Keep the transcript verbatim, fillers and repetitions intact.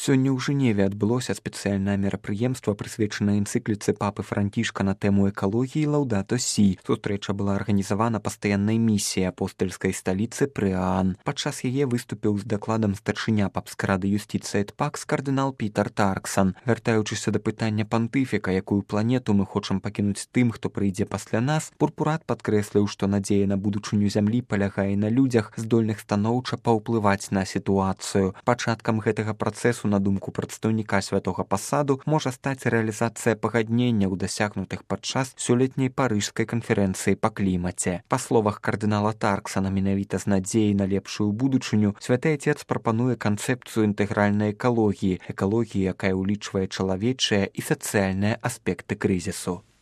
Сёння ў Жэневе адбылося спецыяльнае мерапрыемства, прысвечанае энцыкліцы папы Францішка на тэму экалогіі «Лаўдато Сі». Сустрэча была арганізавана пастаяннай місіяй апостальскай сталіцы Прыаан. Падчас яе выступіў з дакладам старшыня папскай рады юстыцыі эт пакс кардынал Пітер Тарксан. Вяртаючыся да пытання пантыфіка, якую планету мы хочам пакінуць тым, хто прыйдзе пасля нас, пурпурат падкрэсліў, што надзея на будучыню зямлі палягае на людзях, здольных станоўча паўплываць на сітуацыю. Пачаткам гэтага працэсу, на думку прадстаўніка святога пасаду, можа стаць рэалізацыя пагадненняў, дасягнутых падчас сёлетняй парыжскай канферэнцыі па клімаце. Па словах кардынала Тарксана, менавіта з надзеяй на лепшую будучыню, святы Отец прапануе канцэпцыю інтэгральнай экалогіі, экалогіі, якая ўлічвае чалавечыя і сацыяльныя аспекты крызісу.